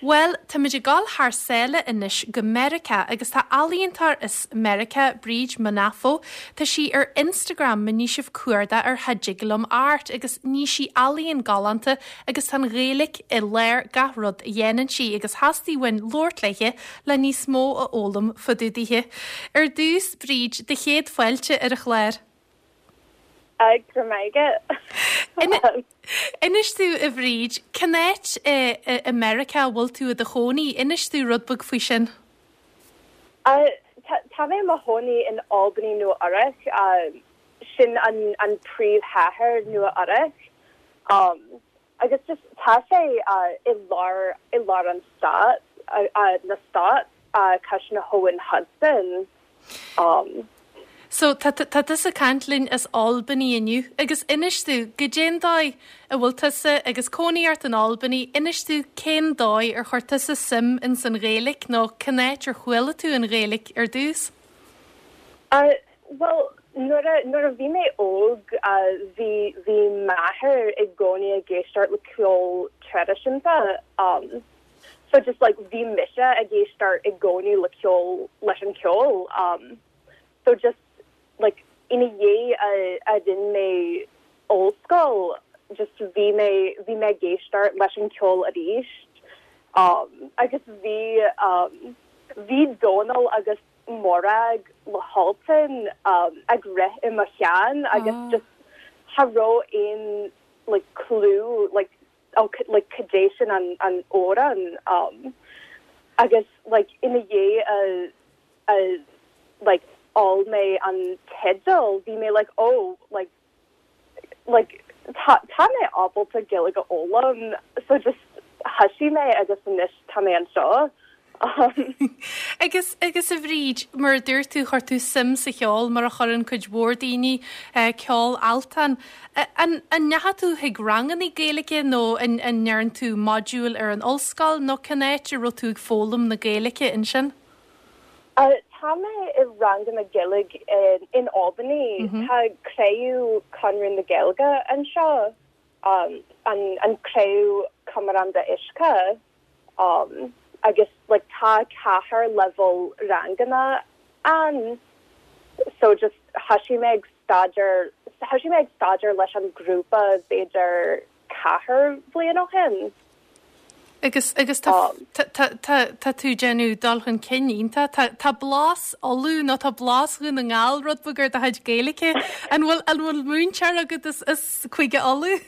Bhuel, táimid ag dul thar sáile anois go Meiriceá agus tá ealaíontóir as Meiriceá, Bríd Munafo, tá sí ar Instagram má ní sibh cuardach uirthi dtig liom art agus ní sí ealaíon galánta agus tá an Ghaeilge i lár gach rud a dhéanann sí agus theastaigh uainn labhairt léithe le níos mó a fhoghlaim fá dtaobh dithe. Ar dtús, Bríd, do chéad fáilte ar an chlár. Go raibh maith agat. Inis domh, a Bhríd, cén áit i Meiriceá a bhfuil tú i do chónaí? Inis domh rud beag faoi sin. Tá mé i mo chónaí in Albany, Nua Eabhrac. Sin an príomhchathair Nua Eabhrac. Agus just tá sé i lár i lár an stát, na stát, cois na habhann Hudson. So tá tá tusa ag caint linn as Albany inniu agus inis domh, goidé'n dóigh a bhfuil tusa agus cónaí ort in Albany, inis domh cén dóigh ar chuir tusa suim ins an Ghaeilic nó cén áit ar chuala tú an Ghaeilic ar dtús? Bhuel, nuair a, nuair a bhí mé óg, bhí, bhí m'athair i gcónaí ag éisteacht le ceol traidisiúnta. So just like bhí mise ag éisteacht i gcónaí le ceol, leis an ceol. So just like ina dhiaidh a, a rinne mé ollscoil, just bhí mé, bhí mé ag éisteacht leis an ceol arís. Agus bhí, bhí Dónal agus Morag le hAltan ag rith i mo cheann agus just cha raibh aon like clue like oh like cad é sin an an amhrán agus like ina dhiaidh a a like fháil mé an teideal bhí mé like oh like like tá tá mé ábalta Gaeilge a fhoghlaim so just thoisigh mé agus anois tá mé anseo. Agus agus a Bhríd, mar a dúirt tú chuir tú suim sa cheol mar a chuireann cuid mhór daoine, ceol Altan. An an ndeachaigh tú chuig rangannaí Gaeilge nó an an ndearn tú modúil ar an ollscoil nó cén áit a raibh tú ag foghlaim na Gaeilge ansin? Tá mé i ranganna Gaeilge in Albany. Tá craobh Conradh na Gaeilge anseo, an craobh Cumar an Dá Uisce, agus like tá ceathair leibhéal ranganna ann. So just thoisigh mé ag staidéar, thoisigh mé ag staidéar leis an grúpa b'fhéidir ceathair bhliain ó shin. Agus, agus tá, tá, tá, tá, tá tú ag déanamh dul chun cinn iontach. Tá, tá blas Uladh nó tá blas Dhún na nGall rud beag ar do chuid Gaeilge. An bhfuil, an bhfuil múinteoir agat as, as Cúige Uladh?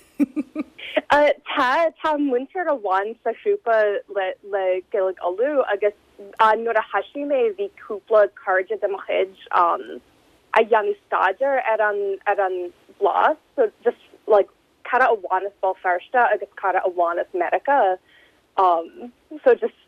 Tá, tá múinteoir amháin sa ghrúpa le, le Gaeilge Uladh agus nuair a thoisigh mé bhí cúpla cairde de mo chuid a dhéanamh staidéar ar an, ar an blas so just like cara amháin as Béal Feirste agus cara amháin as Meiriceá um so just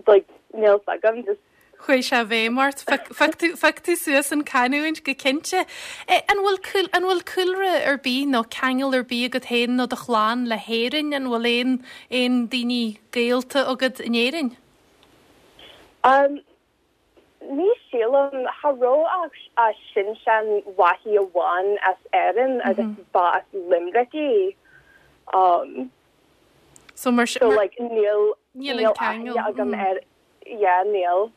like níl 's agam just. Chuaigh sé i bhfeidhm ort. Phioc tú, phioc tú suas an canúint go cinnte. An bhfuil cúl, an bhfuil cúlra ar bith nó ceangal ar bith agat féin nó do chlann le hÉirinn? An bhfuil aon, aon daoine gaolta agat in Éirinn? Um Ní shílim, cha raibh ach sin-seanmháthair amháin as Éirinn agus ba as Limerick í. So mar So like níl níl aithne agam ar yeah níl.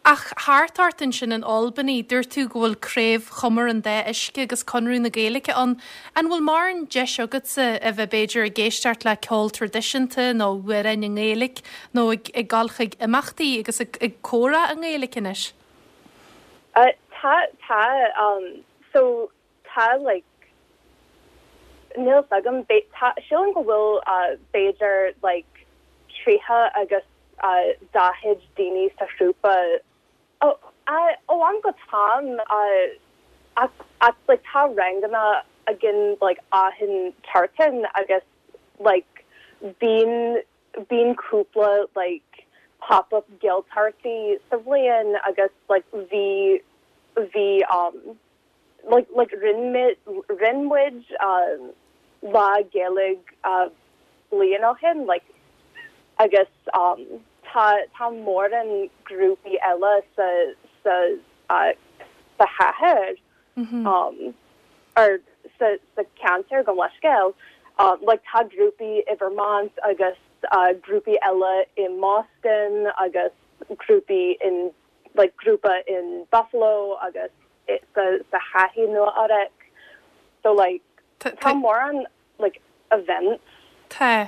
Ach thart ort ansin in Albany, dúirt tú go bhfuil Craobh Chumar an Dá Uisce agus Conradh na Gaeilge ann. An bhfuil mórán deis agatsa a bheith b'fhéidir ag éisteacht le ceol traidisiúnta nó amhráin i nGaeilge Nó ag dul chuig imeachtaí agus ag comhrá i nGaeilge anois? Tá, tá. So, tá like, níl 's agam, tá, sílim go bhfuil b'fhéidir like 30 agus 40 daoine sa ghrúpa ó am go t-am ach like tá ranganna againn like achan tseachtain agus like bíonn Bíonn cúpla like pop up Gaeltachtaí sa bhliain agus like bhí bhí um like like rinne muid rinne muid um lá Gaeilge uh bliain ó shin like agus um tá tá mórán grúpaí eile sa sa uh sa chathair um or sa sa ceantar gabh mo leithscéal. Um like tá grúpaí i Vermont agus. grúpaí eile i mBoston agus grúpaí in like grúpa in Buffalo agus sa sa chathair Nua Eabhrac so like tá mórán like events. Tá.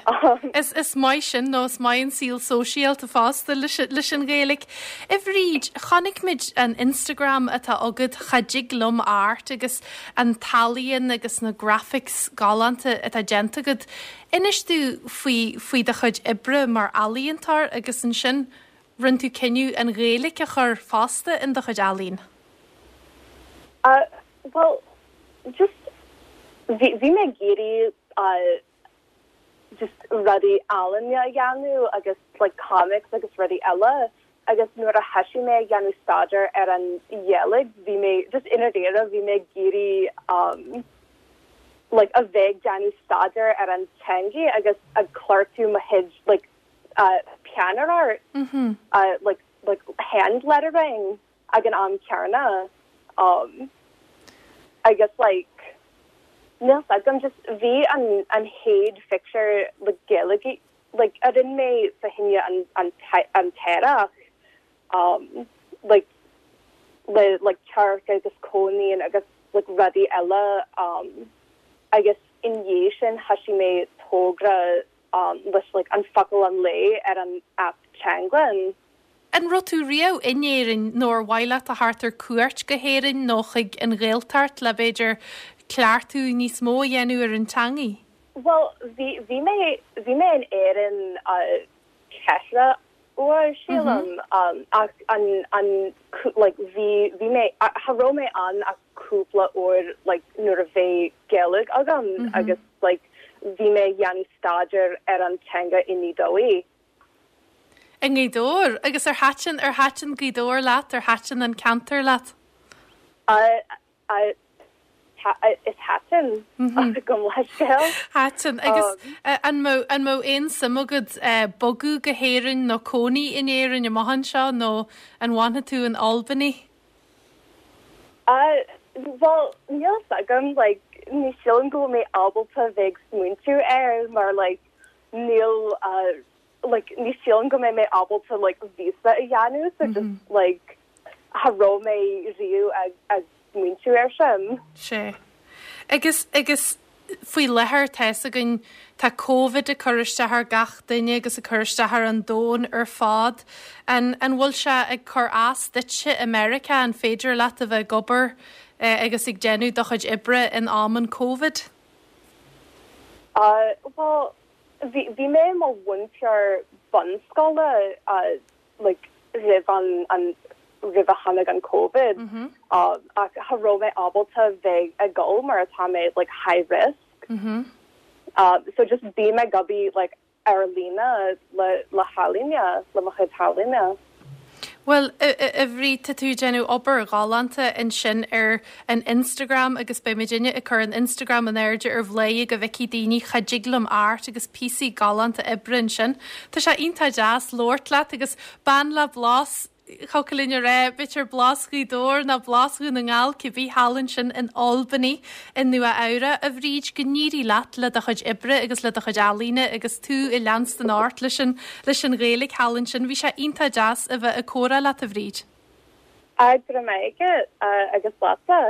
Is is maith sin nó is maith an saol sóisialta fosta leis leis an Ghaeilge. A Bhríd, chonaic muid an Instagram atá agat, Cha dtig liom art agus an t-ealaíon agus na graphics galánta atá déanta agat. Inis domh faoi faoi do chuid oibre mar ealaíontóir agus ansin rinne tú cinneadh an Ghaeilge a chur fosta in do chuid ealaíon. Uh, well, just bhí bhí mé ag iarraidh uh, just rudaí ealaíne a dhéanamh agus like comics agus rudaí eile agus nuair a thoisigh mé ag dhéanamh staidéar ar an Ghaeilge bhí mé just i ndáiríre bhí mé ag iarraidh um, like a bheith ag déanamh staidéar ar an teanga agus ag cleachtadh mo chuid like uh, peannaireacht mm -hmm. uh, like like hand lettering ag an am céanna um agus like níl 's agam just bhí an an chéad phictiúr like Gaeilge like a rinne mé fá choinne an an an t-earrach um like le like cearc agus coinín agus like rudaí eile um agus i ndiaidh sin thoisigh mé togra um leis like an focal an lae ar an aip Teanglann. An raibh tú riamh in Éirinn nó ar mhaith leat a theacht ar cuairt go hÉirinn nó chuig an Ghaeltacht le b'fhéidir cleachtadh níos mó a dhéanamh ar an teangaidh? Bhuel, bhí, bhí mé, bhí mé in Éirinn ceithre uair, sílim, ach an, an, like, bhí, bhí mé, cha raibh mé ann ach cúpla uair, like, nuair a bhí Gaeilge agam agus, like, bhí mé ag dhéanamh staidéar ar an teanga i nGaoth Dobhair. I nGaoth Dobhair? Agus ar thaitin, ar thaitin Gaoth Dobhair leat, ar thaitin an ceantar leat? Is thaitin, gabh mo leithscéal. Thaitin. Agus an mbeadh, an mbeadh aon suim agat bogadh go hÉirinn nó cónaí in Éirinn amach anseo nó an bhfanfaidh tú in Albany? Bhuel, níl 's agam, like, ní sílim go bhfuil mé ábalta bheith ag smaointiú air mar, like, níl like ní sílim go mbeidh mé ábalta like visa a dhéanamh so just like cha raibh mé riamh ag ag smaointiú air sin. Sea. Agus agus faoi láthair tá fhios againn tá Covid ag cur isteach ar gach duine agus ag cur isteach ar an domhan ar fad. An an bhfuil sé ag cur as duitse i Meiriceá? An féidir leat a bheith ag obair agus ag déanamh do chuid oibre in am an Covid? Bhuel, bhí, bhí mé i mo mhúinteoir bunscoile like roimh an, an, roimh a tháinig an Covid ach cha raibh mé ábalta bheith ag dul mar atá mé like high risk. So just bím ag obair like ar líne le, le healaíne, le mo chuid ealaíne. Bhuel, a Bhríd, tá tú ag déanamh obair ghalánta ansin ar an Instagram agus beidh muidinne ag cur an Instagram in airde ar Bhladhaire go bhfeicfidh daoine cha dtig liom art agus píosaí galánta oibre ansin. Tá sé iontach deas labhairt leat agus bean le blas Thiocfadh linn a rá, b'fhéidir blas Ghaoth Dobhair nó blas Dhún na nGall, cibé, thall ansin in Albany i Nua Eabhrac. A Bhríd, go n-éirí leat le do chuid oibre agus le do chuid ealaíne agus tú ag leanstan ort leis an leis an Ghaeilge thall ansin. Bhí sé iontach deas a bheith ag comhrá leat, a Bhríd. Go raibh maith agat agus leatsa.